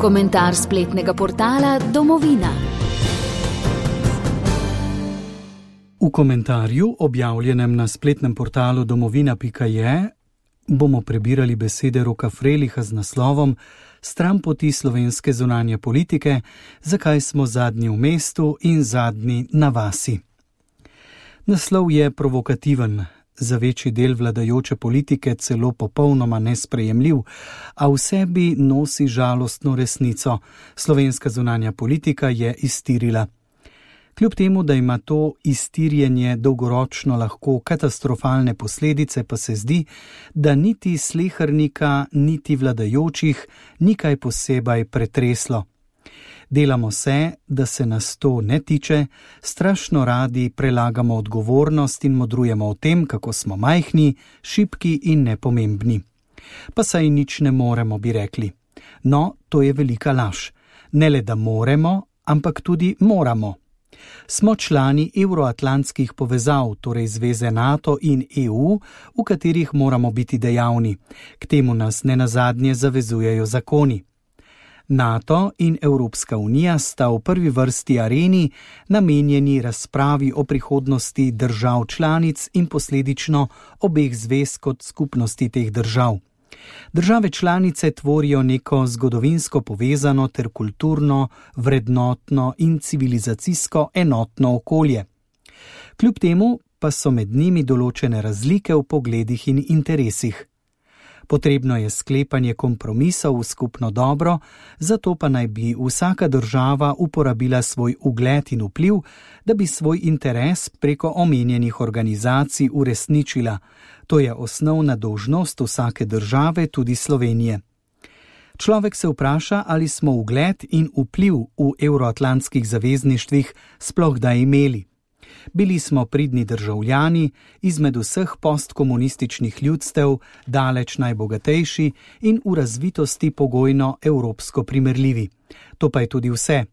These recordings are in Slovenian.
Komentar spletnega portala Domovina. V komentarju, objavljenem na spletnem portalu domovina.je, bomo prebirali besede Roka Freliha z naslovom Stranpoti slovenske zunanje politike, zakaj smo zadnji v mestu in zadnji na vasi. Naslov je provokativen, za večji del vladajoče politike celo popolnoma nesprejemljiv, a v sebi nosi žalostno resnico. Slovenska zunanja politika je iztirila. Kljub temu, da ima to iztirjenje dolgoročno lahko katastrofalne posledice, pa se zdi, da niti slehernika, niti vladajočih ni kaj posebej pretreslo. Delamo se, da se nas to ne tiče, strašno radi prelagamo odgovornost in modrujemo o tem, kako smo majhni, šibki in nepomembni. Pa saj nič ne moremo, bi rekli. No, to je velika laž. Ne le, da moremo, ampak tudi moramo. Smo člani evroatlantskih povezav, torej zveze NATO in EU, v katerih moramo biti dejavni. K temu nas nenazadnje zavezujejo zakoni. NATO in Evropska unija sta v prvi vrsti areni namenjeni razpravi o prihodnosti držav članic in posledično obeh zvez kot skupnosti teh držav. Države članice tvorijo neko zgodovinsko povezano ter kulturno, vrednotno in civilizacijsko enotno okolje. Kljub temu pa so med njimi določene razlike v pogledih in interesih. Potrebno je sklepanje kompromisov v skupno dobro, zato pa naj bi vsaka država uporabila svoj ugled in vpliv, da bi svoj interes preko omenjenih organizacij uresničila. To je osnovna dolžnost vsake države, tudi Slovenije. Človek se vpraša, ali smo ugled in vpliv v evroatlantskih zavezništvih sploh kdaj imeli. Bili smo pridni državljani, izmed vseh postkomunističnih ljudstev, daleč najbogatejši in v razvitosti pogojno evropsko primerljivi. To pa je tudi vse.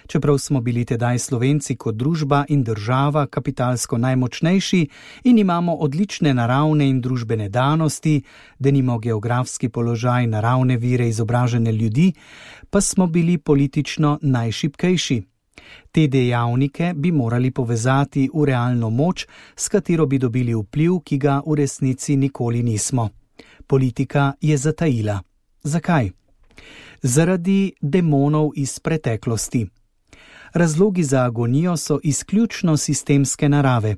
Čeprav smo bili tedaj Slovenci kot družba in država kapitalsko najmočnejši in imamo odlične naravne in družbene danosti, denimo geografski položaj, naravne vire, izobražene ljudi, pa smo bili politično najšibkejši. Te dejavnike bi morali povezati v realno moč, s katero bi dobili vpliv, ki ga v resnici nikoli nismo. Politika je zatajila. Zakaj? Zaradi demonov iz preteklosti. Razlogi za agonijo so izključno sistemske narave.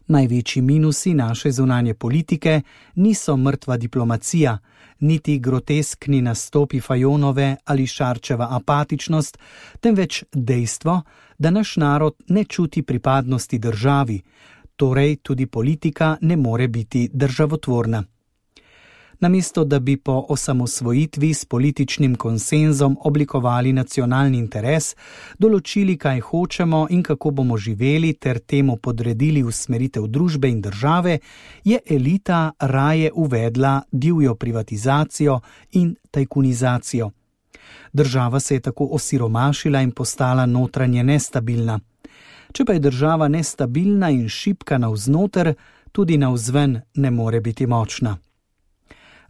Največji minusi naše zunanje politike niso mrtva diplomacija, niti groteskni nastopi Fajonove ali Šarčeva apatičnost, temveč dejstvo, da naš narod ne čuti pripadnosti državi, torej tudi politika ne more biti državotvorna. Namesto da bi po osamosvojitvi s političnim konsenzom oblikovali nacionalni interes, določili, kaj hočemo in kako bomo živeli ter temu podredili usmeritev družbe in države, je elita raje uvedla divjo privatizacijo in tajkunizacijo. Država se je tako osiromašila in postala notranje nestabilna. Če pa je država nestabilna in šibka navznoter, tudi navzven ne more biti močna.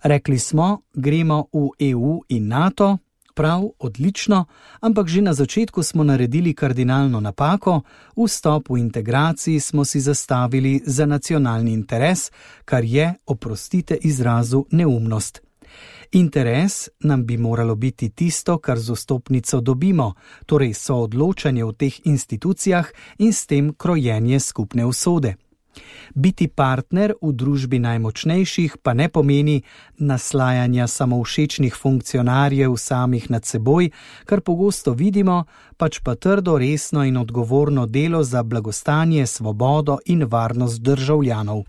Rekli smo, gremo v EU in NATO, prav, odlično, ampak že na začetku smo naredili kardinalno napako, vstop v integraciji smo si zastavili za nacionalni interes, kar je, oprostite izrazu, neumnost. Interes nam bi moralo biti tisto, kar z vstopnico dobimo, torej soodločanje v teh institucijah in s tem krojenje skupne usode. Biti partner v družbi najmočnejših pa ne pomeni naslajanja samovšečnih funkcionarjev samih nad seboj, kar pogosto vidimo, pač pa trdo, resno in odgovorno delo za blagostanje, svobodo in varnost državljanov.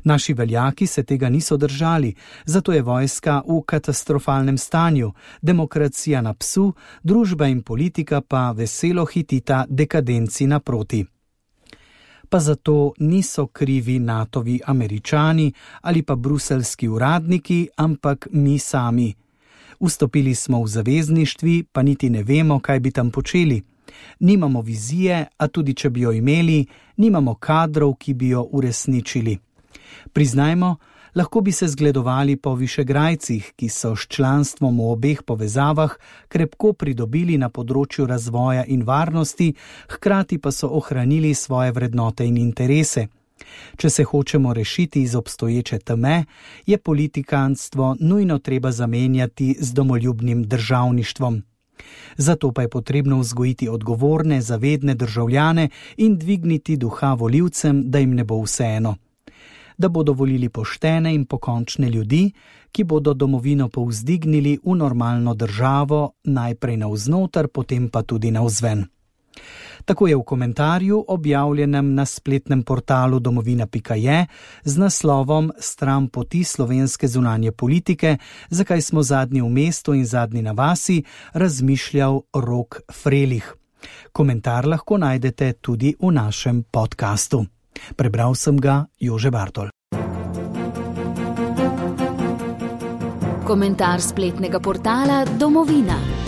Naši veljaki se tega niso držali, zato je vojska v katastrofalnem stanju, demokracija na psu, družba in politika pa veselo hitita dekadenci naproti. Pa zato niso krivi NATOvi Američani ali pa bruseljski uradniki, ampak mi sami. Vstopili smo v zavezništvi, pa niti ne vemo, kaj bi tam počeli. Nimamo vizije, a tudi če bi jo imeli, nimamo kadrov, ki bi jo uresničili. Priznajmo, Lahko bi se zgledovali po Višegrajcih, ki so s članstvom v obeh povezavah krepko pridobili na področju razvoja in varnosti, hkrati pa so ohranili svoje vrednote in interese. Če se hočemo rešiti iz obstoječe teme, je politikantstvo nujno treba zamenjati z domoljubnim državništvom. Zato pa je potrebno vzgojiti odgovorne, zavedne državljane in dvigniti duha volivcem, da jim ne bo vseeno. Da bodo volili poštene in pokončne ljudi, ki bodo domovino povzdignili v normalno državo, najprej navznoter, potem pa tudi navzven. Tako je v komentarju, objavljenem na spletnem portalu domovina.je z naslovom Stran poti slovenske zunanje politike, zakaj smo zadnji v mestu in zadnji na vasi, razmišljal Rok Frelih. Komentar lahko najdete tudi v našem podkastu. Prebral sem ga Jože Bartol. Komentar spletnega portala Domovina.